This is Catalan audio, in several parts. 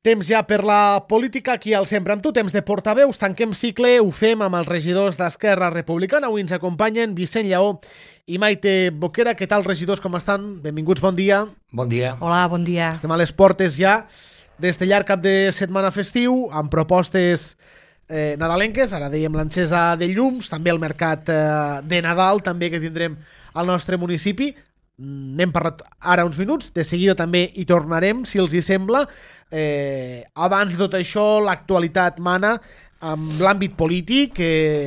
Temps ja per la política, aquí al Sempre amb tu, temps de portaveus, tanquem cicle, ho fem amb els regidors d'Esquerra Republicana. Avui ens acompanyen Vicent Lleó i Maite Boquera. Què tal, regidors, com estan? Benvinguts, bon dia. Bon dia. Hola, bon dia. Estem a les portes ja des de llarg cap de setmana festiu, amb propostes nadalenques, ara dèiem l'encesa de llums, també el mercat de Nadal, també que tindrem al nostre municipi. N'hem parlat ara uns minuts, de seguida també hi tornarem, si els hi sembla. Abans de tot això, l'actualitat mana amb l'àmbit polític.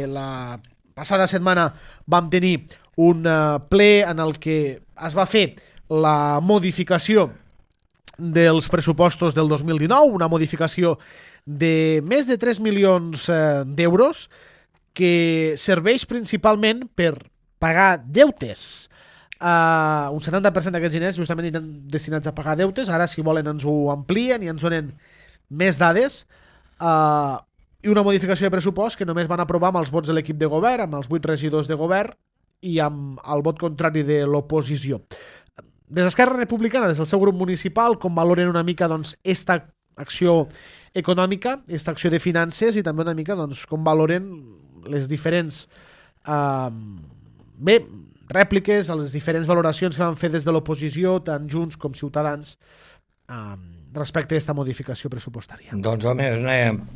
La passada setmana vam tenir un ple en el que es va fer la modificació dels pressupostos del 2019, una modificació de més de 3 milions d'euros que serveix principalment per pagar deutes. Un 70% d'aquests diners justament aniran destinats a pagar deutes. Ara, si volen, ens ho amplien i ens donen més dades. I una modificació de pressupost que només van aprovar amb els vots de l'equip de govern, amb els 8 regidors de govern i amb el vot contrari de l'oposició. Des d'Esquerra Republicana, des del seu grup municipal, com valoren una mica esta acció econòmica, esta acció de finances, i també una mica com valoren les diferents rèpliques, les diferents valoracions que van fer des de l'oposició, tant Junts com Ciutadans, respecte a aquesta modificació pressupostària. Doncs, home,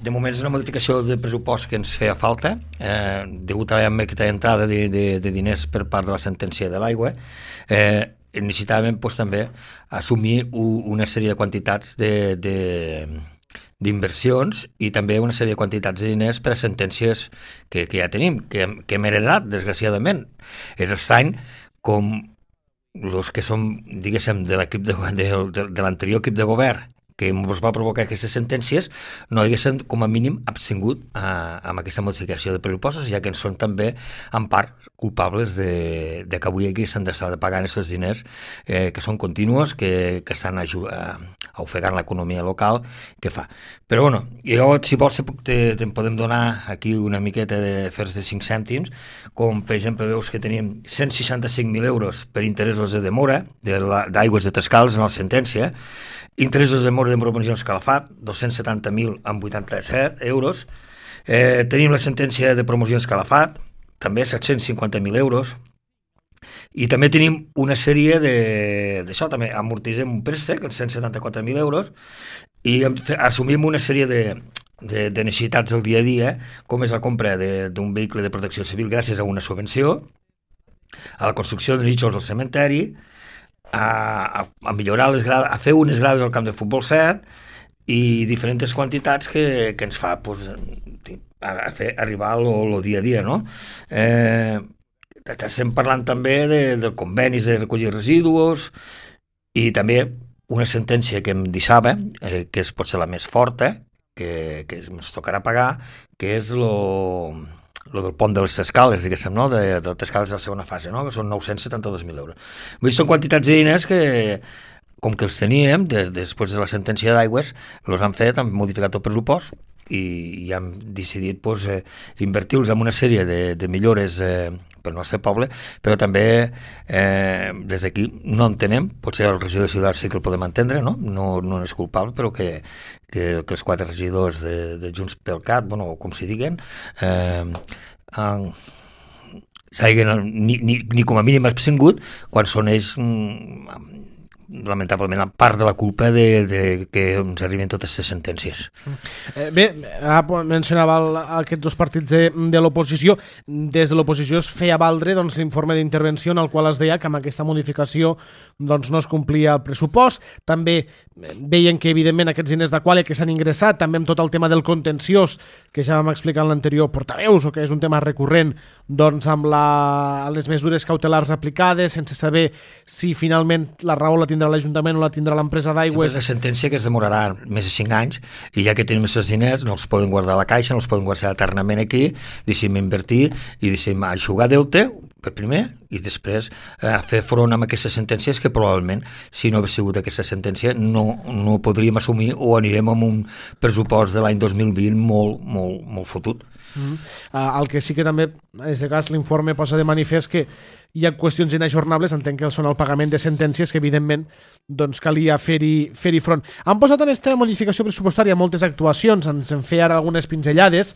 de moment és una modificació de pressupost que ens feia falta, degut a aquesta entrada de diners per part de la sentència de l'aigua. Necessitàvem també assumir una sèrie de quantitats d'inversions i també una sèrie de quantitats de diners per a sentències que ja tenim, que hem heredat, desgraciadament. És estrany com els que som, diguéssim, de l'anterior equip de govern que ens va provocar aquestes sentències no haguessin com a mínim abstingut amb aquesta modificació de pressupostos, ja que en són també en part culpables de que avui haguessin d'estar pagant aquests diners que són continus, que estan ofegant l'economia local que fa. Però bueno, jo, si vols, te'n podem donar aquí una miqueta de fers de 5 cèntims, com per exemple veus que tenim 165.000 euros per interessos de demora d'aigües de Trescals en la sentència, interessos de demora de promocions Calafat, 270.000 amb 87 euros. Tenim la sentència de promocions Calafat, també 750.000 euros. I també tenim una sèrie d'això, també amortitzem un préstec, els 174.000 euros, i assumim una sèrie de necessitats del dia a dia, com és la compra d'un vehicle de protecció civil gràcies a una subvenció, a la construcció de nínxols al cementeri, a millorar les grades, a fer unes grades al camp de futbol 7 i diferents quantitats que ens fa a fer arribar el dia a dia, no? Estem parlant també de convenis de recollir residus i també una sentència que em deixava, que és potser la més forta, que ens tocarà pagar, que és lo del pont de les Escales, diguéssim, no? De les Escales de la segona fase, no? Que són 972.000 euros. Vull dir, són quantitats de diners que, com que els teníem, després de la sentència d'aigües, els han fet, han modificat el pressupost i han decidit invertir-los en una sèrie de millores pel nostre poble, però també des d'aquí no entenem, potser el regidor de Ciutat sí que el podem entendre, no és culpable, però que els 4 regidors de Junts pel Cat, bueno, com s'hi diguen, s'hagin ni com a mínim abstingut quan són ells lamentablement en part de la culpa de que ens arriben totes aquestes sentències. Bé, mencionava aquests dos partits de l'oposició. Des de l'oposició es feia valdre l'informe d'intervenció en el qual es deia que amb aquesta modificació no es complia el pressupost. També veien que evidentment aquests diners de qual que s'han ingressat, també amb tot el tema del contenciós que ja vam explicar en l'anterior portaveus, o que és un tema recurrent, amb les mesures cautelars aplicades sense saber si finalment la raó la tindrà l'Ajuntament o la tindrà l'empresa d'aigües. És una sentència que es demorarà més de 5 anys i ja que tenim aquests diners no els poden guardar a la caixa, no els poden guardar eternament aquí, deixem invertir i deixem aixugar deute per primer i després fer front amb aquestes sentències que probablement si no hagués sigut aquesta sentència no podríem assumir o anirem amb un pressupost de l'any 2020 molt fotut. El que sí que també en aquest cas l'informe posa de manifest hi ha qüestions inajornables, entenc que són el pagament de sentències que evidentment doncs, calia fer-hi front. Han posat en aquesta modificació pressupostària moltes actuacions, ens en feia ara algunes pinzellades,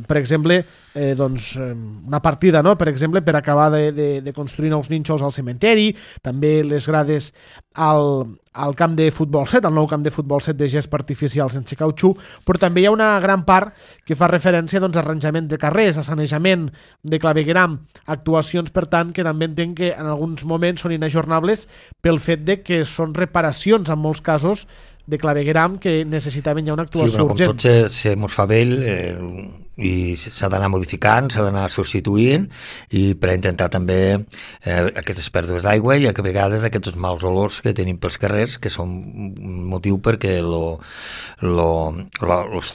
per exemple, una partida, no? Per exemple, per acabar de construir nous nínxols al cementeri, també les grades al camp de futbol 7, al nou camp de futbol 7 de gespa artificial sense cautxú, però també hi ha una gran part que fa referència doncs, a arranjament de carrers, a sanejament de clavegueram, actuacions, per tant, que també entenc que en alguns moments són inajornables pel fet de que són reparacions, en molts casos, de clavegueram que necessitaven ja una actuació urgent. Com tot se mos fa vell i s'ha d'anar modificant, s'ha d'anar substituint i per intentar també aquestes pèrdues d'aigua i a vegades aquests mals olors que tenim pels carrers que són un motiu perquè els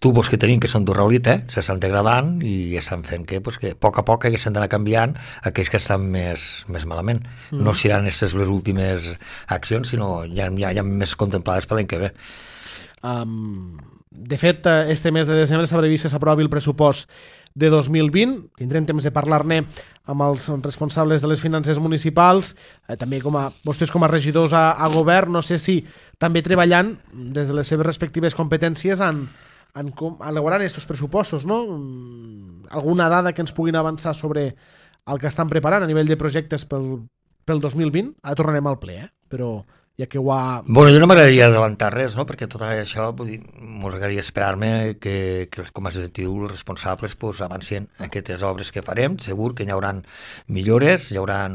tubos que tenim que són d'uralita s'estan degradant i estan fent que a poc s'han d'anar canviant aquells que estan més malament. No seran aquestes les últimes accions, sinó ja més contemplades per l'any que ve. De fet, este mes de desembre s'ha previst que s'aprovi el pressupost de 2020. Tindrem temps de parlar-ne amb els responsables de les finances municipals, també vostès com a regidors a govern, no sé si també treballant des de les seves respectives competències en elaborant aquests pressupostos, no? Alguna dada que ens puguin avançar sobre el que estan preparant a nivell de projectes pel 2020? Ara tornarem al ple, però ja que ho ha... Bueno, jo no m'agradaria adelantar res, no? Perquè tot això m'agradaria esperar-me que com a executiu els responsables avancin aquestes obres que farem. Segur que hi haurà millores, hi haurà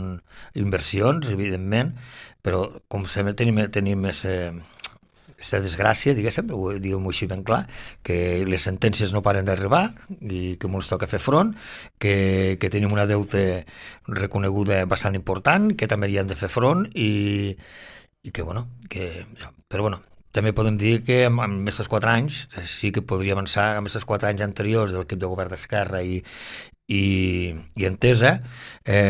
inversions, evidentment, però com sempre tenim aquesta desgràcia, diguem-ho així ben clar, que les sentències no paren d'arribar i que ens toca fer front, que tenim una deute reconeguda bastant important, que també hi hem de fer front però també podem dir que en aquests 4 anys sí que podria avançar, en aquests 4 anys anteriors de l'equip de govern d'Esquerra i Entesa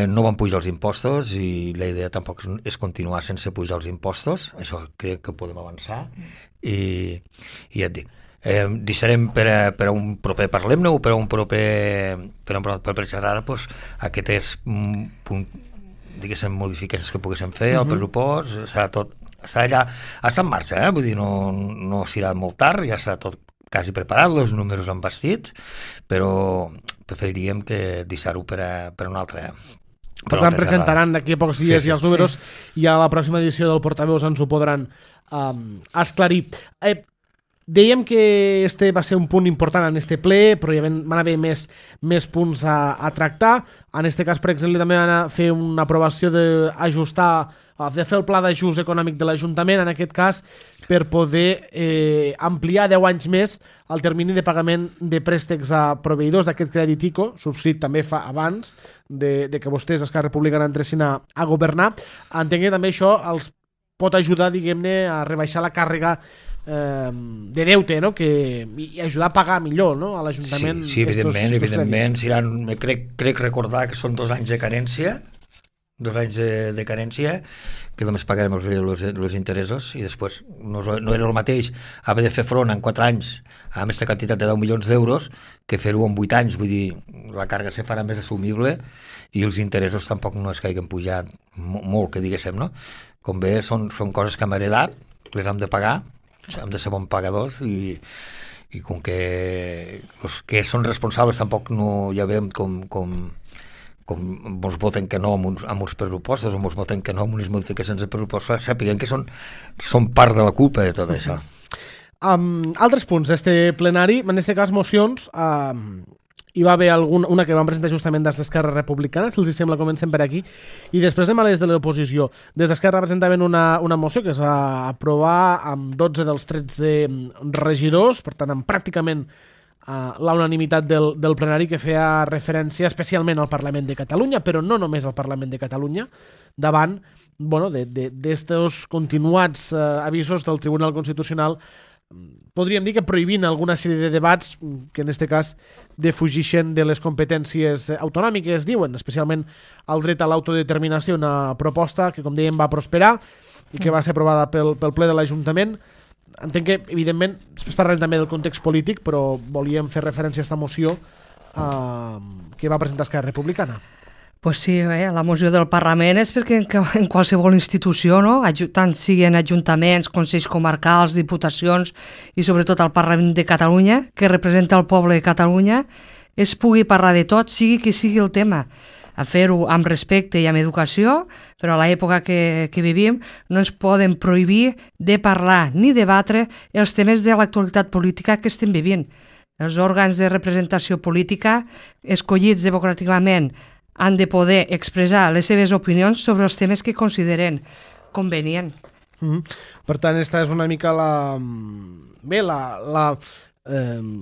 no van pujar els impostos i la idea tampoc és continuar sense pujar els impostos, això crec que podem avançar i ja et dic, deixarem per a un proper parlem-ne o per a un proper per xerrar aquestes diguéssim modificacions que poguéssim fer al pressupost, està allà, està en marxa, vull dir, no serà molt tard, ja està tot quasi preparat, els números han bastit, però preferiríem que deixar-ho per a un altre. Per tant, presentaran d'aquí a pocs dies i els números i a la pròxima edició del Portaveus ens ho podran esclarir. Dèiem que este va ser un punt important en este ple, però hi van haver més punts a tractar. En este cas, per exemple, també van a fer una aprovació de fer el pla d'ajust econòmic de l'Ajuntament, en aquest cas, per poder ampliar 10 anys més el termini de pagament de préstecs a proveïdors d'aquest crèdit ICO, subscrit també fa abans de que vostès, Esquerra Republicana, entressin a governar. Entenc que també això els pot ajudar, diguem-ne, a rebaixar la càrrega de deute, no? I ajudar a pagar millor, no? A l'Ajuntament. Sí, evidentment crec recordar que són 2 anys de carència, 2 anys de carència, que només pagarem els interessos i després no era el mateix haver de fer front en 4 anys a aquesta quantitat de 10 milions d'euros que fer-ho en 8 anys, vull dir, la càrrega se farà més assumible i els interessos tampoc no es que hagin pujat molt, que diguéssim, no? Com bé, són coses que hem heredat, les hem de pagar, hem de ser bons pagadors i com que els que són responsables tampoc no ja veiem com ens voten que no amb uns pressupostos o ens voten que no amb unes modificacions de pressupostos, sàpiguen que són part de la culpa de tot això. Altres punts d'este plenari, en aquest cas mocions, hi va haver una que van presentar justament des d'Esquerra Republicana, si els sembla comencem per aquí, i després anem a les de l'oposició. Des d'Esquerra presentaven una moció que es va aprovar amb 12 dels 13 regidors, per tant amb pràcticament la unanimitat del plenari, que feia referència especialment al Parlament de Catalunya, però no només al Parlament de Catalunya, davant d'estos continuats avisos del Tribunal Constitucional, podríem dir que prohibint alguna sèrie de debats que en aquest cas defugixen de les competències autonòmiques, diuen, especialment el dret a l'autodeterminació, una proposta que, com dèiem, va prosperar i que va ser aprovada pel ple de l'Ajuntament. Entenc que, evidentment, després parlarem també del context polític, però volíem fer referència a aquesta moció que va presentar Esquerra Republicana. Pues sí, la moció del Parlament és perquè en qualsevol institució, no? Tant siguin ajuntaments, consells comarcals, diputacions i sobretot el Parlament de Catalunya, que representa el poble de Catalunya, es pugui parlar de tot, sigui qui sigui el tema. A fer-ho amb respecte i amb educació, però a l'època que vivim no ens poden prohibir de parlar ni debatre els temes de l'actualitat política que estem vivint. Els òrgans de representació política escollits democràticament han de poder expressar les seves opinions sobre els temes que consideren convenient. Per tant, esta és una mica la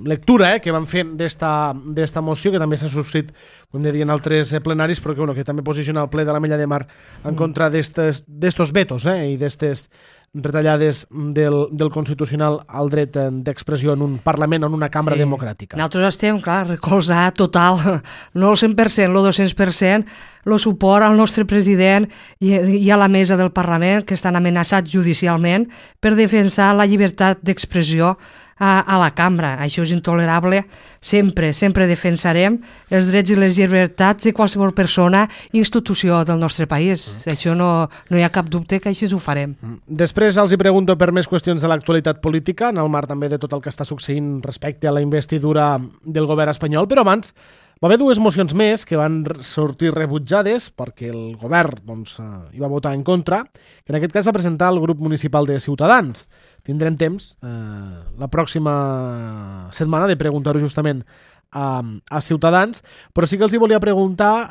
lectura que van fent d'esta moció, que també s'ha subscrit, com de dir, en altres plenaris, però que també posiciona el ple de l'Ametlla de Mar en contra d'estos vetos i d'estes retallades del Constitucional al dret d'expressió en un Parlament o en una cambra democràtica. Nosaltres estem, clar, recolzar total, no el 100%, el 200%, el suport al nostre president i a la mesa del Parlament, que estan amenaçats judicialment per defensar la llibertat d'expressió a la cambra. Això és intolerable. Sempre defensarem els drets i les llibertats de qualsevol persona i institució del nostre país. Això no hi ha cap dubte que així ho farem. Després els hi pregunto per més qüestions de l'actualitat política, en el marc també de tot el que està succeint respecte a la investidura del govern espanyol, però abans va haver dues mocions més que van sortir rebutjades perquè el govern hi va votar en contra, que en aquest cas va presentar el grup municipal de Ciutadans. Tindrem temps la pròxima setmana de preguntar-ho justament a Ciutadans, però sí que els hi volia preguntar,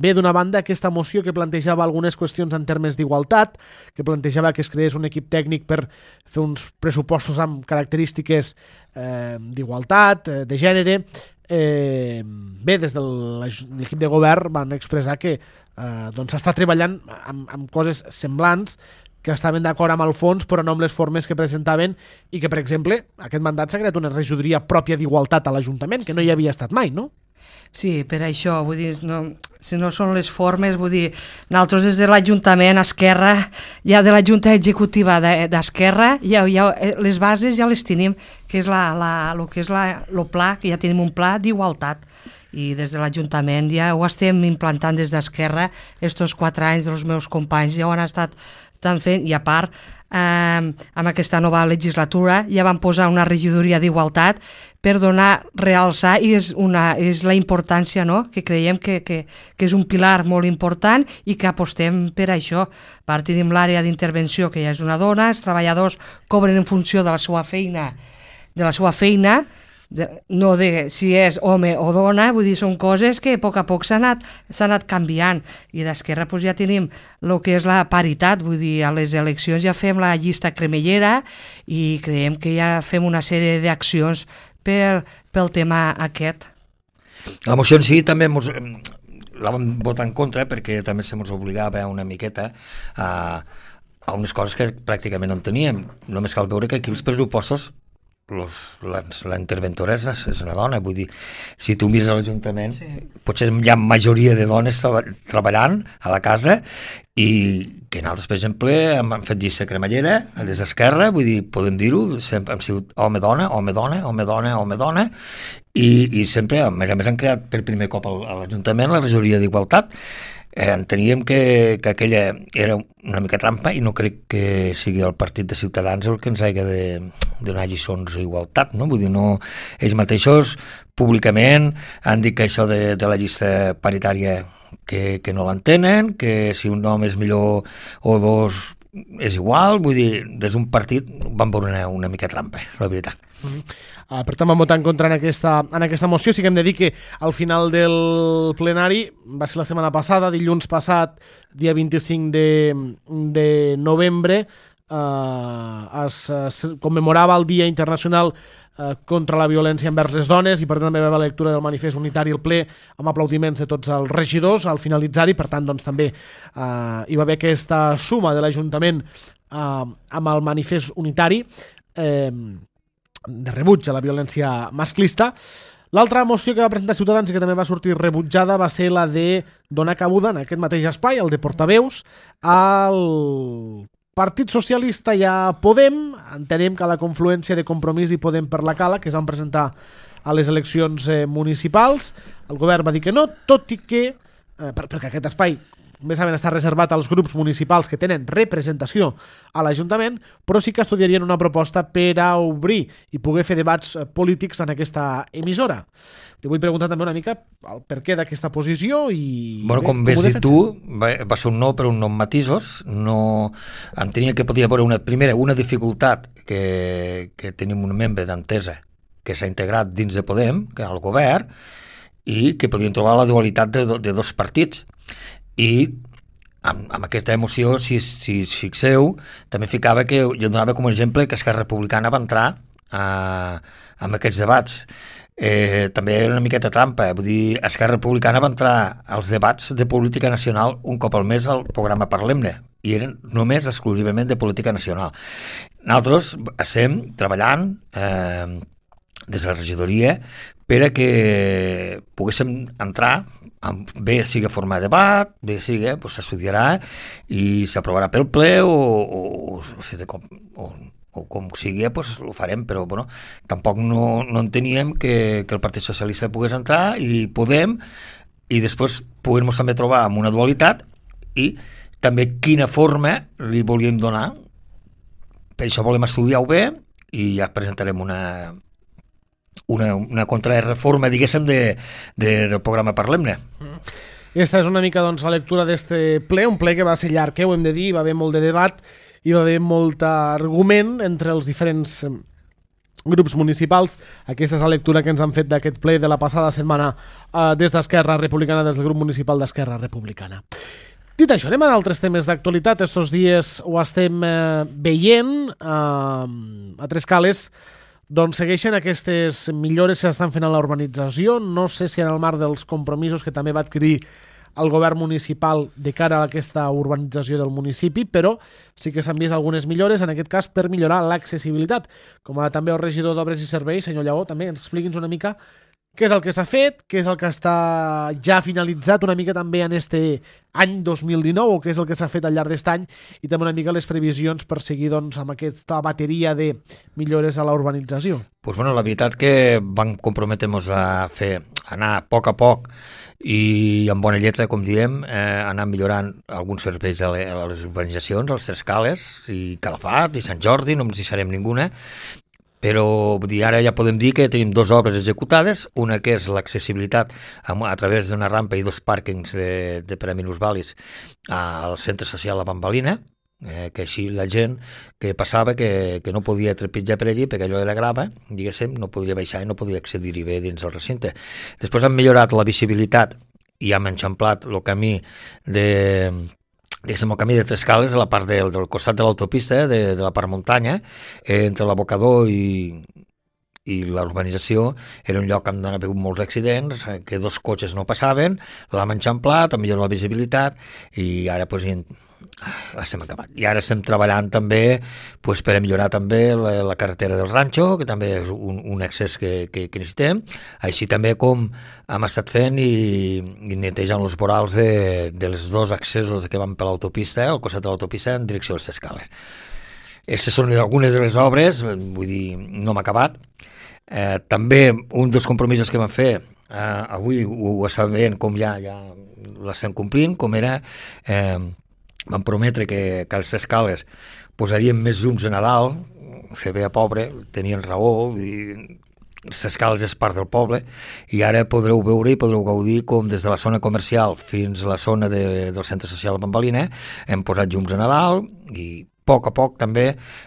bé, d'una banda, aquesta moció que plantejava algunes qüestions en termes d'igualtat, que plantejava que es creés un equip tècnic per fer uns pressupostos amb característiques d'igualtat, de gènere. Bé, des de l'equip de govern van expressar que s'està treballant amb coses semblants, que estaven d'acord amb el fons però no amb les formes que presentaven, i que, per exemple, aquest mandat s'ha creat una regidoria pròpia d'igualtat a l'Ajuntament, que no hi havia estat mai, no? Sí, per això, vull dir, si no són les formes, vull dir, nosaltres des de l'Ajuntament, Esquerra, ja de la Junta Executiva d'Esquerra, ja les bases ja les tenim, que és el pla, que ja tenim un pla d'igualtat, i des de l'Ajuntament ja ho estem implantant des d'Esquerra. Estos 4 anys dels meus companys ja ho han estat tant fent, i a part, amb aquesta nova legislatura ja van posar una regidoria d'igualtat per realçar, i és la importància, no?, que creiem que és un pilar molt important i que apostem per això. A part, tenim l'àrea d'intervenció, que ja és una dona, els treballadors cobren en funció de la seva feina, no de si és home o dona, vull dir, són coses que a poc s'ha anat canviant, i d'Esquerra ja tenim el que és la paritat, vull dir, a les eleccions ja fem la llista cremellera i creiem que ja fem una sèrie d'accions pel tema aquest. La moció en si també la vam votar en contra perquè també se ens obligava una miqueta a unes coses que pràcticament no en teníem. Només cal veure que aquí els pressupostos la interventora és una dona, vull dir, si tu mires a l'Ajuntament, potser hi ha majoria de dones treballant a la casa, i que nosaltres, per exemple, hem fet llista cremallera a les d'Esquerra, vull dir, podem dir-ho, sempre hem sigut home-dona, home-dona, home-dona, home-dona, i sempre, a més han creat per primer cop a l'Ajuntament la regidoria d'igualtat. Enteníem que aquella era una mica trampa, i no crec que sigui el partit de Ciutadans el que ens hagi de donar lliçons d'igualtat, no? Vull dir, no, ells mateixos públicament han dit que això de la llista paritària que no l'entenen, que si un nom és millor o dos és igual, vull dir, des d'un partit van veure una mica trampa, la veritat. Per tant, vam votar en contra en aquesta moció. Sí que hem de dir que al final del plenari, va ser la setmana passada, dilluns passat, dia 25 de novembre, es commemorava el Dia Internacional contra la violència envers les dones, i per tant també va haver la lectura del manifest unitari al ple amb aplaudiments de tots els regidors al finalitzar-hi. Per tant, doncs, també hi va haver aquesta suma de l'Ajuntament amb el manifest unitari de rebuig a la violència masclista. L'altra moció que va presentar Ciutadans i que també va sortir rebutjada va ser la de donar cabuda en aquest mateix espai, el de portaveus, al Partit Socialista i a Podem. Entenem que la confluència de Compromís i Podem per la Cala, que es van presentar a les eleccions municipals, el govern va dir que no, tot i que perquè aquest espai, com bé saben, està reservat als grups municipals que tenen representació a l'Ajuntament, però sí que estudiarien una proposta per a obrir i poder fer debats polítics en aquesta emissora. Te vull preguntar també una mica el perquè d'aquesta posició i... Bueno, com ves dit tu, va ser un no, però un no amb matisos. No, entenia que podia haver una dificultat que tenim un membre d'Entesa que s'ha integrat dins de Podem, que és el govern, i que podien trobar la dualitat de dos partits. I amb aquesta emoció, si fixeu, també ficava que jo donava com a exemple que Esquerra Republicana va entrar amb aquests debats. També era una miqueta trampa, vull dir, Esquerra Republicana va entrar als debats de política nacional un cop al mes al programa Parlem-ne, i eren només exclusivament de política nacional. Nosaltres estem treballant des de la regidoria per a que poguéssim entrar, bé sigui formar debat, bé sigui, s'estudiarà i s'aprovarà pel ple o com sigui, ho farem, però bueno, tampoc no enteníem que el Partit Socialista pogués entrar i Podem, i després poder-nos també trobar amb una dualitat i també quina forma li volíem donar. Per això volem estudiar-ho bé i ja presentarem una contrarreforma, diguéssim, del programa Parlem-ne. Aquesta és una mica, doncs, la lectura d'este ple, un ple que va ser llarg, ho hem de dir, va haver molt de debat, hi va haver molt argument entre els diferents grups municipals. Aquesta és la lectura que ens han fet d'aquest ple de la passada setmana des d'Esquerra Republicana, des del grup municipal d'Esquerra Republicana. Dit això, anem a altres temes d'actualitat. Estos dies ho estem veient a Trescales, doncs segueixen aquestes millores que s'estan fent a la urbanització. No sé si en el marc dels compromisos que també va adquirir el govern municipal de cara a aquesta urbanització del municipi, però sí que s'han vist algunes millores, en aquest cas per millorar l'accessibilitat. Com a també el regidor d'Obres i Serveis, senyor Lleó, també ens expliqui'ns una mica què és el que s'ha fet, què és el que està ja finalitzat una mica també en este any 2019, o què és el que s'ha fet al llarg d'aquest any, i també una mica les previsions per seguir, doncs, amb aquesta bateria de millores a la urbanització. Pues bueno, la veritat que vam comprometre-nos a fer, anar a poc i amb bona lletra, com diem, anar millorant alguns serveis a les urbanitzacions, als Trescales i Calafat i Sant Jordi, no ens deixarem ninguna, però vull dir, ara ja podem dir que tenim dues obres executades, una que és l'accessibilitat a través d'una rampa i dos pàrquings per a minusvàlids al centre social La Bambalina, que així la gent que passava que no podia trepitjar per allí perquè allò era grava, diguéssim, no podia baixar i no podia accedir-hi bé dins el recinte. Després han millorat la visibilitat i hem enxamplat el camí el camí de Trescales a la part del costat de l'autopista, de la part muntanya, entre l'abocador i la urbanització. Era un lloc on han hagut molts accidents, que dos cotxes no passaven, l'hem enxamplat, ha millorat la visibilitat i ara estem acabat. I ara estem treballant també per a millorar també la carretera del Ranxo, que també és un accés que necessitem, així també com hem estat fent i netejant els vorals de les dos accessos que van per l'autopista, al costat de l'autopista en direcció als Trescales. Aquestes són algunes de les obres, vull dir, no hem acabat. També un dels compromisos que vam fer avui ho estàvem veient com ja l'estem complint, com era vam prometre que als Trescales posaríem més llums a Nadal, se veia pobre, tenien raó, i les Trescales és part del poble, i ara podreu veure i podreu gaudir com des de la zona comercial fins a la zona del centre social de Bambalina hem posat llums a Nadal, i a poc també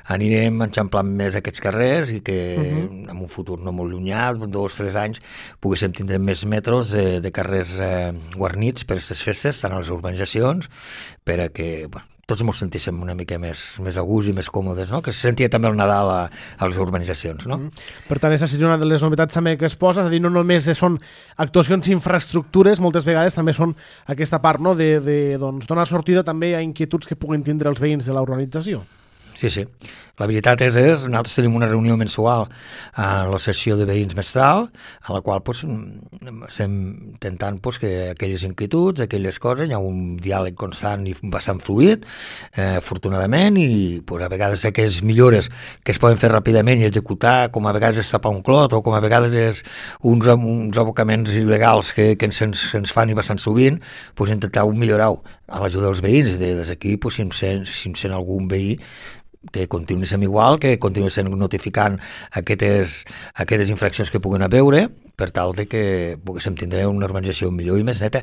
anirem enxamplant més aquests carrers i que en un futur no molt llunyà, 2 o 3 anys, poguéssim tindre més metros de carrers guarnits per aquestes festes, tant a les urbanitzacions, per a que tots ens sentíssim una mica més a gust i més còmodes, no? Que se sentia també el Nadal a les urbanitzacions, no? Per tant, aquesta seria una de les novetats també que es posa, és a dir, no només són actuacions infraestructures, moltes vegades també són aquesta part, no?, de donar sortida també a inquietuds que puguin tindre els veïns de la urbanització. Sí. La veritat és nosaltres tenim una reunió mensual a la sessió de veïns mestral, a la qual estem intentant que aquelles inquietuds, aquelles coses, hi ha un diàleg constant i bastant fluid, afortunadament, i a vegades aquelles millores que es poden fer ràpidament i executar, com a vegades és tapar un clot, o com a vegades és uns abocaments il·legals que se'ns fan i bastant sovint, intentar millorar-ho a l'ajuda dels veïns. Des d'aquí, si em sent algun veí, que continuï sent igual, que continuï sent notificant aquestes infraccions que puguen veure, per tal de que poguéssim tindre una urbanització millor i més neta.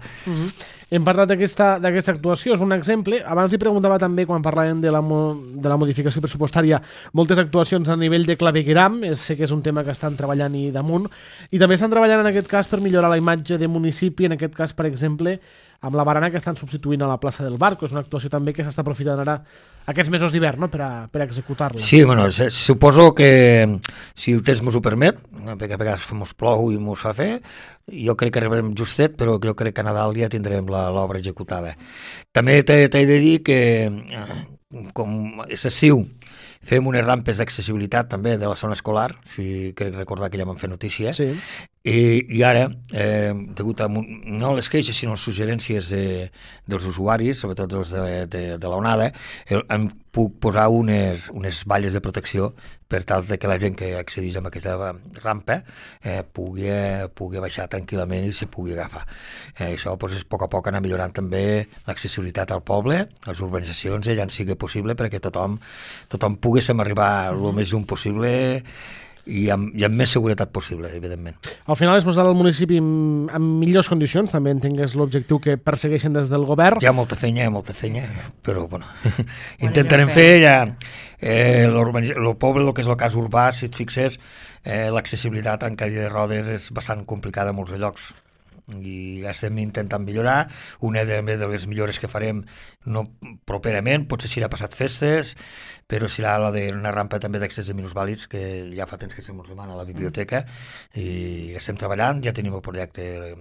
Hem parlat d'aquesta actuació, és un exemple. Abans li preguntava també, quan parlàvem de la modificació pressupostària, moltes actuacions a nivell de clavegueram, sé que és un tema que estan treballant i damunt, i també estan treballant en aquest cas per millorar la imatge de municipi, en aquest cas, per exemple, amb la barana que estan substituint a la plaça del Barco. És una actuació també que s'està aprofitant ara aquests mesos d'hivern, no?, per a executar-la. Sí, suposo que si el temps m'ho permet, perquè a vegades mos plou i mos fa fer, jo crec que arribarem justet, però jo crec que a Nadal ja tindrem l'obra executada. També t'he de dir que, com és estiu, fem unes rampes d'accessibilitat també de la zona escolar, si crec recordar que ja vam fer notícia, sí. I ara, degut a no les queixes sinó les suggerències dels usuaris, sobretot els de l'onada, hem puc posar unes valles de protecció per tal que la gent que accedeix a aquesta rampa pugui baixar tranquil·lament i s'hi pugui agafar. Això a poc a poc anar millorant també l'accessibilitat al poble, a les urbanitzacions, allà en sigui possible, perquè tothom poguéssim arribar el més lluny possible i amb més seguretat possible, evidentment. Al final és posar el municipi en millors condicions, també entenc que és l'objectiu que persegueixen des del govern. Hi ha molta feina, però bueno, intentarem fer ja el poble, el que és el cas urbà, si et fixes, l'accessibilitat en cadira de rodes és bastant complicada a molts llocs i estem intentant millorar. Una de les millores que farem properament, potser serà passat festes, però serà la d'una rampa també d'accés de minusvàlids, que ja fa temps que se'ns demana a la biblioteca, i estem treballant, ja tenim el projecte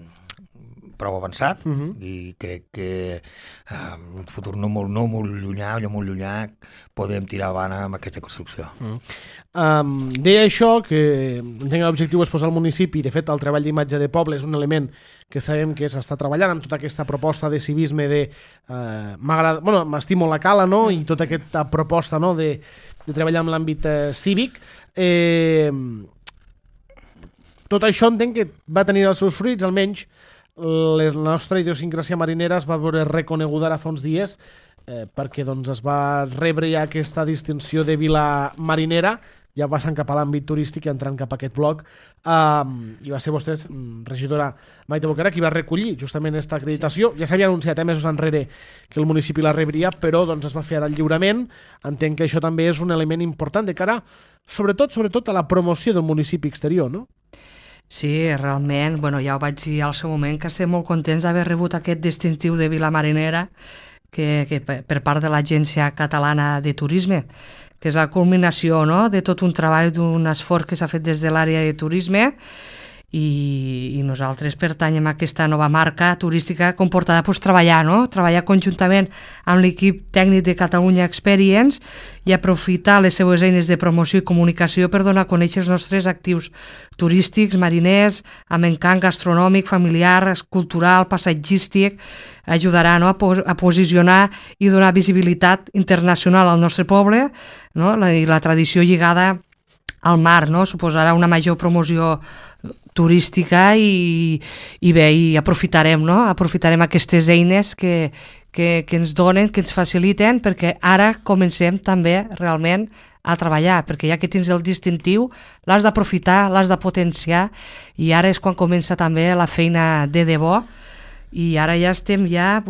prou avançat, i crec que en un futur no molt llunyà podem tirar avant amb aquesta construcció. Deia això, que entenc que l'objectiu és posar el municipi, de fet el treball d'imatge de poble és un element que sabem que s'està treballant amb tota aquesta proposta de civisme m'estimo la cala, no?, i tota aquesta proposta, no?, de treballar en l'àmbit cívic. Tot això entenc que va tenir els seus fruits, almenys la nostra idiosincràsia marinera es va veure reconeguda ara fa uns dies perquè es va rebre ja aquesta distinció de vila marinera, ja passant cap a l'àmbit turístic i entrant cap a aquest bloc, i va ser vostè, regidora Maite Boquera, qui va recollir justament aquesta acreditació. Ja s'havia anunciat mesos enrere que el municipi la rebria, però es va fer ara el lliurament. Entenc que això també és un element important de cara, sobretot a la promoció del municipi exterior, no? Sí, realment, ja ho vaig dir al seu moment, que estem molt contents d'haver rebut aquest distintiu de Vila Marinera que per part de l'Agència Catalana de Turisme, que és la culminació, no?, de tot un treball, d'un esforç que s'ha fet des de l'àrea de turisme, i nosaltres pertanyem a aquesta nova marca turística comportada treballar conjuntament amb l'equip tècnic de Catalunya Experience i aprofitar les seues eines de promoció i comunicació per donar a conèixer els nostres actius turístics, mariners, amb encant gastronòmic, familiar, cultural, passatgístic. Ajudarà, no?, a posicionar i donar visibilitat internacional al nostre poble, no?, i la tradició lligada al mar, no?, suposarà una major promoció turística i aprofitarem aquestes eines que ens donen, que ens faciliten, perquè ara comencem també realment a treballar, perquè ja que tens el distintiu l'has d'aprofitar, l'has de potenciar, i ara és quan comença també la feina de debò. I ara ja estem ja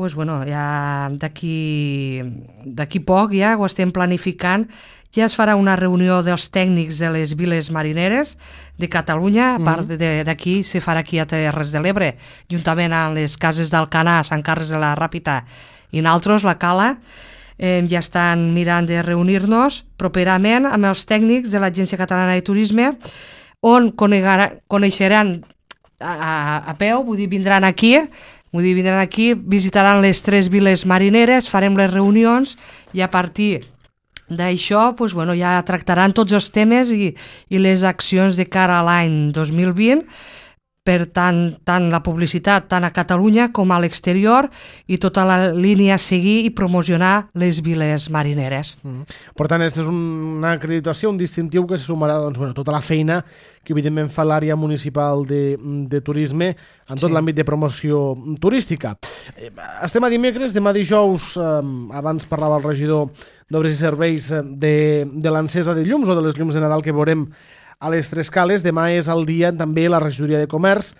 d'aquí poc ja ho estem planificant. Ja es farà una reunió dels tècnics de les viles marineres de Catalunya, a part d'aquí se farà aquí a Terres de l'Ebre, juntament amb les cases d'Alcanar, Sant Carles de la Ràpita i nosaltres, la Cala. Ja estan mirant de reunir-nos properament amb els tècnics de l'Agència Catalana de Turisme, on coneixeran a peu, vindran aquí, visitaran les 3 viles marineres, farem les reunions, i a partir D'això ja tractaran tots els temes i les accions de cara a l'any 2020, per tant la publicitat tant a Catalunya com a l'exterior i tota la línia a seguir i promocionar les viles marineres. Per tant, aquesta és una acreditació, un distintiu que se sumarà tota la feina que evidentment fa l'àrea municipal de turisme en tot l'àmbit de promoció turística. Estem a dimecres, demà dijous, abans parlava el regidor d'Obres i Serveis de l'encesa de llums o de les llums de Nadal que veurem a les Tres Cales. Demà és el dia també la regidoria de Comerç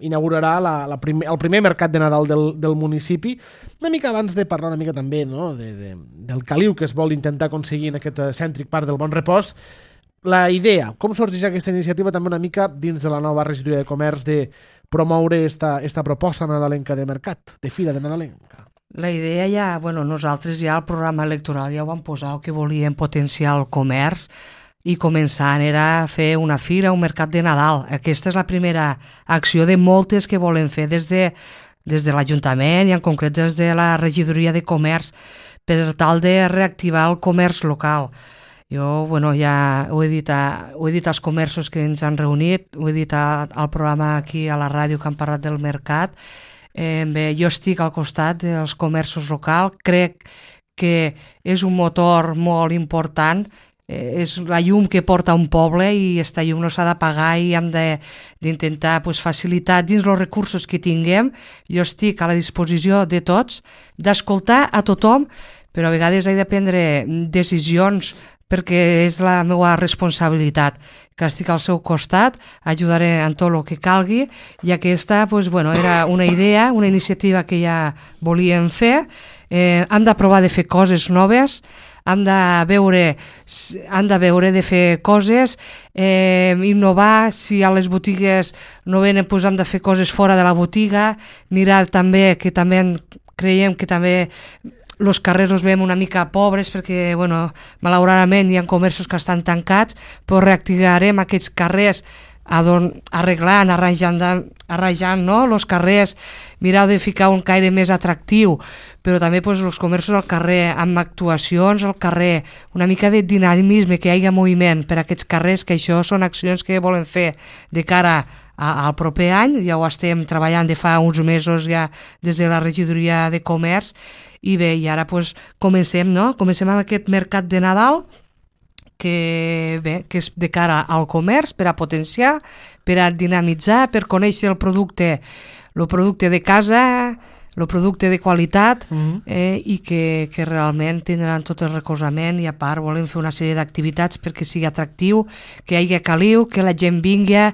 inaugurarà el primer mercat de Nadal del municipi. Una mica abans de parlar una mica també del caliu que es vol intentar aconseguir en aquest cèntric parc del Bon Repòs, la idea, com sorgeix aquesta iniciativa també una mica dins de la nova regidoria de Comerç de promoure esta proposta nadalenca de mercat, de fira de nadalenca? La idea nosaltres ja al programa electoral ja ho vam posar, que volíem potenciar el comerç i començant era fer una fira, un mercat de Nadal. Aquesta és la primera acció de moltes que volem fer des de l'Ajuntament i en concret des de la regidoria de Comerç per tal de reactivar el comerç local. Jo ja ho he dit als comerços que ens han reunit, ho he dit al programa aquí a la ràdio que han parlat del mercat. Jo estic al costat dels comerços locals, crec que és un motor molt important, és la llum que porta un poble i aquesta llum no s'ha de pagar i hem d'intentar facilitar dins els recursos que tinguem. Jo estic a la disposició de tots, d'escoltar a tothom, però a vegades he de prendre decisions perquè és la meva responsabilitat, que estic al seu costat, ajudaré en tot el que calgui, i aquesta era una idea, una iniciativa que ja volíem fer. Hem de provar de fer coses noves, hem de veure de fer coses, innovar. Si a les botigues no venen, hem de fer coses fora de la botiga, mirar també que també creiem que també els carrers els veiem una mica pobres perquè, malauradament hi ha comerços que estan tancats, però reactivarem aquests carrers arreglant, arranjant els carrers, mirar de ficar un caire més atractiu, però també els comerços al carrer, amb actuacions al carrer, una mica de dinamisme, que hi hagi moviment per aquests carrers, que això són accions que volem fer de cara al proper any. Ja ho estem treballant de fa uns mesos ja des de la regidoria de Comerç, i bé, i ara comencem amb aquest mercat de Nadal que és de cara al comerç, per a potenciar, per a dinamitzar, per conèixer el producte de casa, el producte de qualitat, i que realment tindran tot el recolzament, i a part volem fer una sèrie d'activitats perquè sigui atractiu, que hi hagi caliu, que la gent vingui,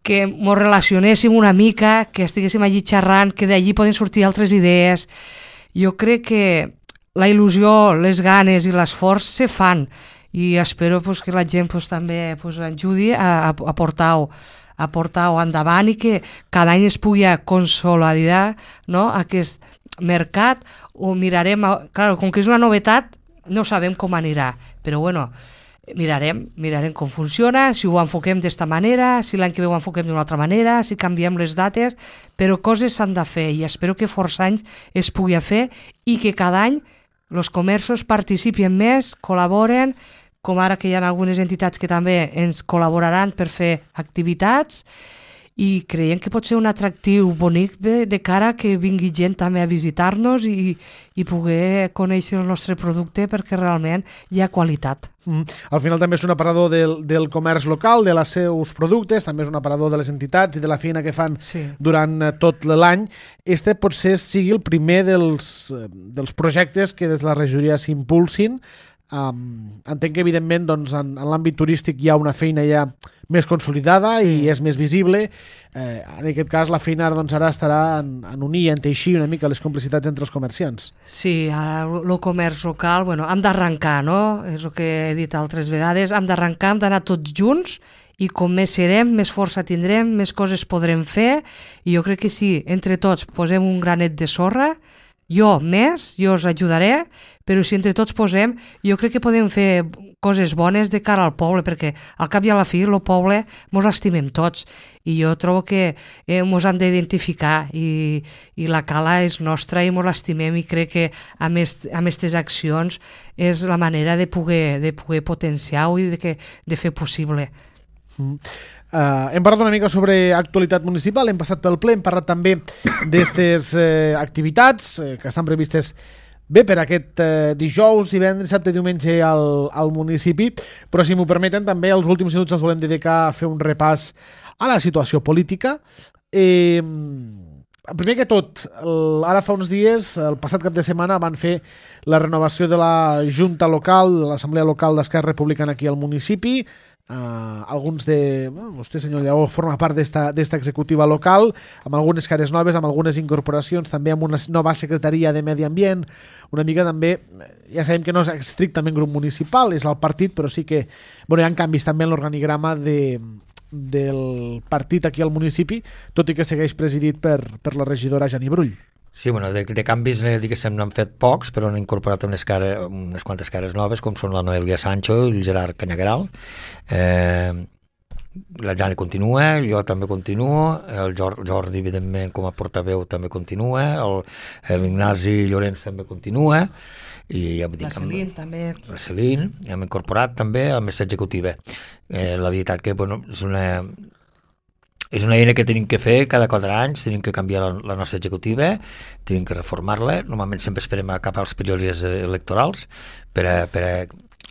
que ens relacionéssim una mica, que estiguéssim allí xerrant, que d'allí poden sortir altres idees. Jo crec que la il·lusió, les ganes i l'esforç se fan, i espero que la gent també ajudi a portar-ho endavant i que cada any es pugui consolidar aquest mercat. Ho mirarem, com que és una novetat, no sabem com anirà, però mirarem com funciona, si ho enfoquem d'esta manera, si l'any que ve ho enfoquem d'una altra manera, si canviem les dates, però coses s'han de fer i espero que força anys es pugui fer i que cada any els comerços participin més, col·laboren, com ara que hi ha algunes entitats que també ens col·laboraran per fer activitats, i creiem que pot ser un atractiu bonic de cara que vingui gent també a visitar-nos i poder conèixer el nostre producte, perquè realment hi ha qualitat. Al final també és un aparador del comerç local, de els seus productes, també és un aparador de les entitats i de la feina que fan durant tot l'any. Este potser sigui el primer dels projectes que des de la regidoria s'impulsin. Entenc que evidentment en l'àmbit turístic hi ha una feina ja més consolidada i és més visible. En aquest cas la feina ara estarà en unir i en teixir una mica les complicitats entre els comerciants. Sí, ara el comerç local, hem d'arrencar, no? És el que he dit altres vegades, hem d'arrencar, hem d'anar tots junts, i com més serem, més força tindrem, més coses podrem fer, i jo crec que si entre tots posem un granet de sorra, jo us ajudaré, però si entre tots posem, jo crec que podem fer coses bones de cara al poble, perquè al cap i a la fi el poble mos l'estimem tots, i jo trobo que mos hem d'identificar, i la cala és nostra i mos l'estimem, i crec que amb aquestes accions és la manera de poder potenciar-ho i de fer possible. Hem parlat una mica sobre actualitat municipal, hem passat pel ple, hem parlat també d'aquestes activitats que estan previstes bé per aquest dijous, divendres, dissabte, diumenge al municipi, però si m'ho permeten també els últims minuts els volem dedicar a fer un repàs a la situació política. Primer que tot, ara fa uns dies, el passat cap de setmana, van fer la renovació de la Junta Local, de l'Assemblea Local d'Esquerra Republicana aquí al municipi. Alguns de... vostè, senyor Lleó, forma part d'esta executiva local, amb algunes cares noves, amb algunes incorporacions, també amb una nova secretaria de Medi Ambient, una mica també, ja sabem que no és estrictament grup municipal, és el partit, però sí que hi ha canvis també en l'organigrama del partit aquí al municipi, tot i que segueix presidit per la regidora Jani Brull. Sí, bueno, de canvis diguéssim n'han fet pocs, però han incorporat unes quantes cares noves, com són la Noelia Sancho i el Gerard Canyagueral. La Jani continua, jo també continuo, el Jordi, evidentment, com a portaveu també continua, l'Ignasi Llorenç també continua, i ja la Celine també. La Celine, hem incorporat també a mesa executiva. La veritat que és una eina que tenim que fer cada 4 anys, tenim que canviar la nostra executiva, tenim que reformar-la, normalment sempre esperem a cap als períodes electorals per a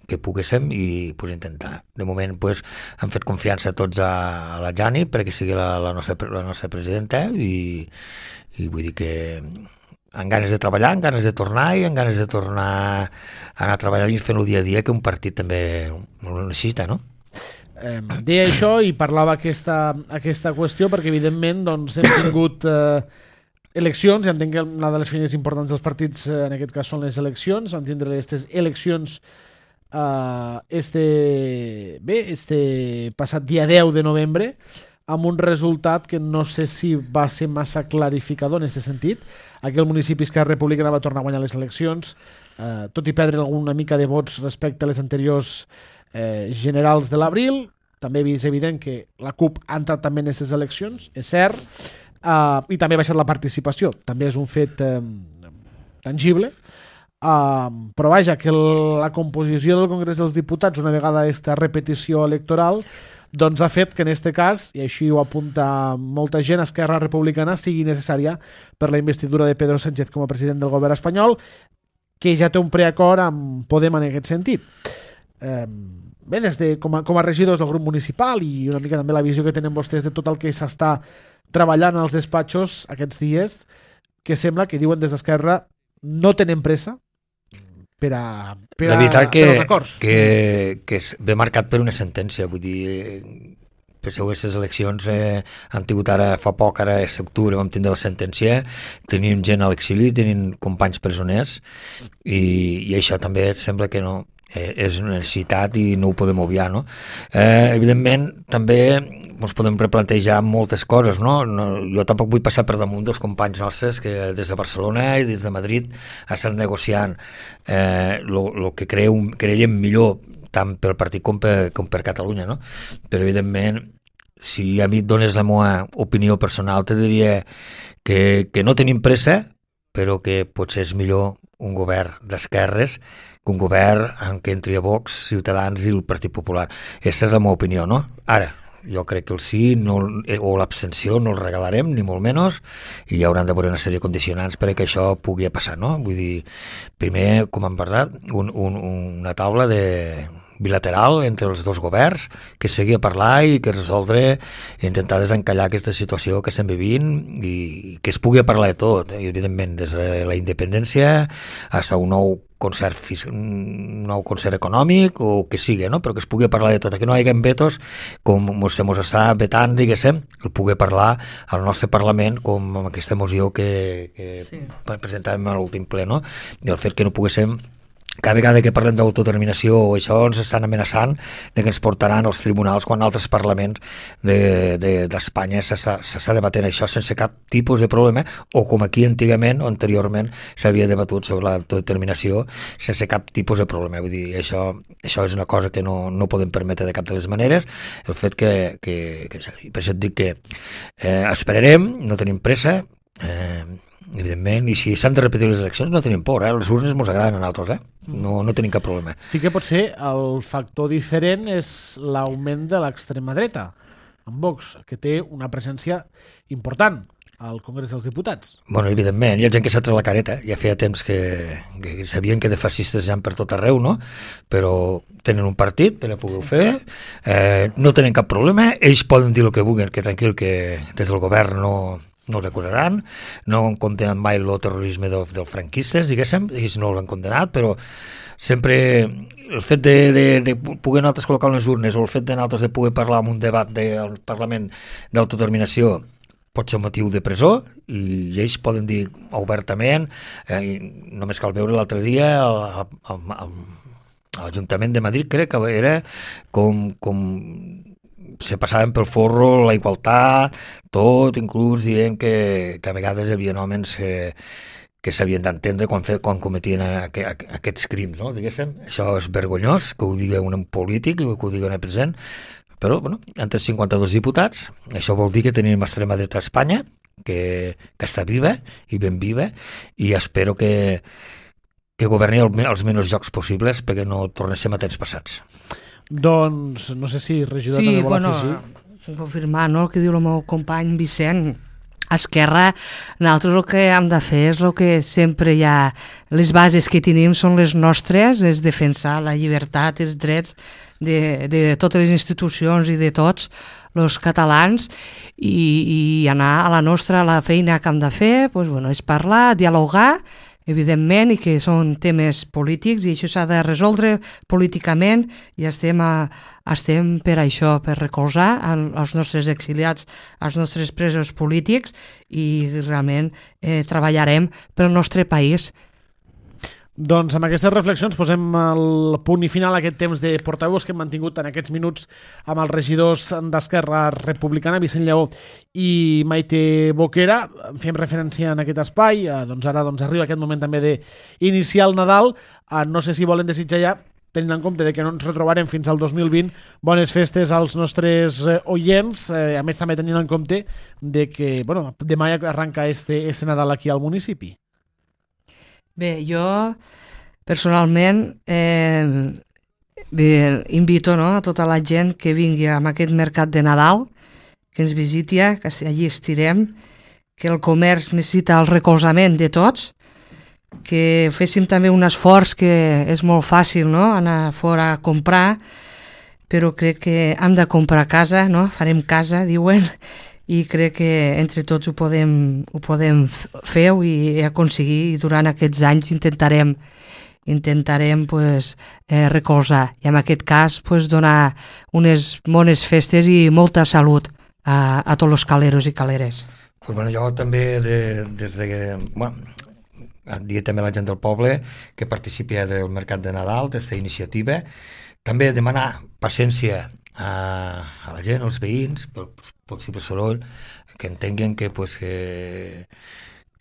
que poguéssim i intentar. De moment hem fet confiança tots a la Jani perquè sigui la nostra presidenta i vull dir que amb ganes de treballar, amb ganes de tornar i amb ganes de tornar a anar a treballar i fent-ho dia a dia, que un partit també ho necessita, no? Deia això i parlava aquesta qüestió perquè evidentment doncs, hem tingut eleccions, i entenc que una de les feines importants dels partits en aquest cas són les eleccions, vam tindre aquestes eleccions este passat dia 10 de novembre amb un resultat que no sé si va ser massa clarificador en aquest sentit. Aquí el municipi Esquerra Republicana va tornar a guanyar les eleccions, tot i perdre alguna mica de vots respecte a les anteriors generals de l'abril. També és evident que la CUP ha entrat també en aquestes eleccions, és cert, i també ha baixat la participació, també és un fet tangible, però vaja, que la composició del Congrés dels Diputats, una vegada aquesta repetició electoral, doncs ha fet que en aquest cas, i així ho apunta molta gent, Esquerra Republicana sigui necessària per la investidura de Pedro Sánchez com a president del govern espanyol, que ja té un preacord amb Podem en aquest sentit. Bé, com a regidors del grup municipal i una mica també la visió que tenen vostès de tot el que s'està treballant als despatxos aquests dies, que sembla que diuen des d'Esquerra no tenen pressa per als acords. Que ve marcat per una sentència, vull dir, penseu, aquestes eleccions han tingut ara fa poc, ara a l'octubre vam tindre la sentència, tenim gent a l'exili, tenim companys presoners i això també sembla que no és una necessitat i no ho podem obviar, no? Evidentment també ens podem replantejar moltes coses, no? Jo tampoc vull passar per damunt dels companys nostres que des de Barcelona i des de Madrid estan negociant el que creiem millor tant pel partit com per Catalunya, no? Però evidentment, si a mi et dones la meva opinió personal, te diria que no tenim pressa, però que potser és millor un govern d'esquerres que un govern en què entri a Vox, Ciutadans i el Partit Popular. Aquesta és la meva opinió, no? Ara, jo crec que el sí o l'abstenció no el regalarem, ni molt menys, i hi hauran de veure una sèrie de condicionants perquè això pugui passar, no? Vull dir, primer, com hem parlat, una taula bilateral entre els dos governs que sigui a parlar i que resoldre i intentar desencallar aquesta situació que estem vivint i que es pugui parlar de tot, i evidentment des de la independència fins a un nou concert econòmic o que sigui, no? Però que es pugui parlar de tot, que no hi hagi vetos com se mos està vetant, diguéssim, el pugui parlar al nostre Parlament com amb aquesta moció que sí, presentàvem a l'últim ple, no? I el fet que no poguéssim cada vegada que parlem d'autodeterminació o això ens estan amenaçant de que ens portaran als tribunals quan altres parlaments d'Espanya s'està debatent això sense cap tipus de problema, o com aquí antigament o anteriorment s'havia debatut sobre l'autodeterminació sense cap tipus de problema. Vull dir, això és una cosa que no podem permetre de cap de les maneres, el fet que per això et dic que esperarem, no tenim pressa, evidentment, i si s'han de repetir les eleccions no tenim por, les urnes ens agraden a nosaltres, no tenim cap problema. Sí que potser el factor diferent és l'augment de l'extrema dreta, amb Vox, que té una presència important al Congrés dels Diputats. Bueno, evidentment, hi ha gent que s'ha tret la careta, ja feia temps que sabien que de fascistes hi ha per tot arreu, no? Però tenen un partit per a poder fer, no tenen cap problema, ells poden dir el que vulguin, que tranquil, que des del govern no recuraran, no han condenat mai el terrorisme dels franquistes, diguéssim, ells no l'han condenat, però sempre el fet de poder nosaltres col·locar les urnes o el fet de nosaltres de poder parlar en un debat del Parlament d'autodeterminació pot ser un motiu de presó i ells poden dir obertament, només cal veure l'altre dia a l'Ajuntament de Madrid, crec que era com se passaven pel forro la igualtat, tot, inclús dient que a vegades hi havia homes que s'havien d'entendre quan cometien aquests crims, no? Diguéssim, això és vergonyós, que ho digui un polític, que ho digui un president, però, bueno, entre 52 diputats, això vol dir que tenim extrema dreta a Espanya, que està viva i ben viva, i espero que governi els menys jocs possibles perquè no tornéssim a temps passats. Doncs no sé si regidor també vol afegir. Sí, confirmar, no?, el que diu el meu company Vicent. A Esquerra, nosaltres el que hem de fer és el que sempre hi ha, les bases que tenim són les nostres, és defensar la llibertat, els drets de totes les institucions i de tots els catalans i anar a la nostra, a la feina que hem de fer, doncs, bueno, és parlar, dialogar, evidentment, i que són temes polítics i això s'ha de resoldre políticament i estem per això, per recolzar els nostres exiliats, els nostres presos polítics i realment treballarem pel nostre país. Doncs amb aquestes reflexions posem el punt i final a aquest temps de portaveus que hem mantingut en aquests minuts amb els regidors d'Esquerra Republicana, Vicent Lleó i Maite Boquera. Fem referència en aquest espai, doncs ara arriba aquest moment també d'iniciar el Nadal. No sé si volen desitjar ja, tenint en compte que no ens retrobarem fins al 2020, bones festes als nostres oients, a més també tenint en compte de que demà arranca este Nadal aquí al municipi. Bé, jo personalment invito a tota la gent que vingui a aquest mercat de Nadal, que ens visiti, que allí estirem, que el comerç necessita el recolzament de tots, que féssim també un esforç, que és molt fàcil, no?, anar fora a comprar, però crec que hem de comprar a casa, no?, farem casa, diuen, i crec que entre tots ho podem fer i aconseguir, i durant aquests anys intentarem recolzar i en aquest cas donar unes bones festes i molta salut a tots els caleros i caleres. Jo també des de dir també a la gent del poble que participi del Mercat de Nadal, d'aquesta iniciativa, també demanar paciència a la gent, als veïns, pel possible soroll, que entenguin que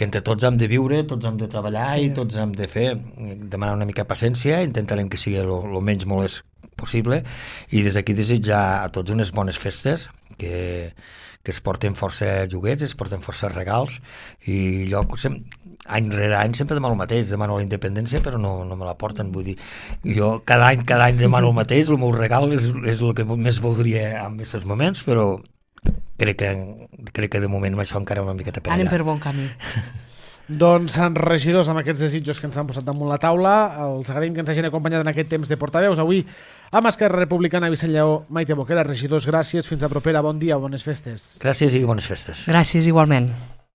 entre tots hem de viure, tots hem de treballar i tots hem de fer, demanar una mica paciència, intentarem que sigui el menys molest possible i des d'aquí desitjar a tots unes bones festes, que es porten força joguets, es porten força regals i jo any rere any sempre demano el mateix, demano la independència però no me la porten, vull dir, jo cada any demano el mateix, el meu regal és el que més voldria en aquests moments, però crec que de moment això encara una miqueta per allà. Anem per bon camí. Doncs, regidors, amb aquests desitjos que ens han posat damunt la taula, els agraïm que ens hagin acompanyat en aquest temps de portaveus. Avui, amb Esquerra Republicana, Vicent Lleó, Maite Boquera, regidors, gràcies, fins a propera, bon dia, bones festes. Gràcies i bones festes. Gràcies, igualment.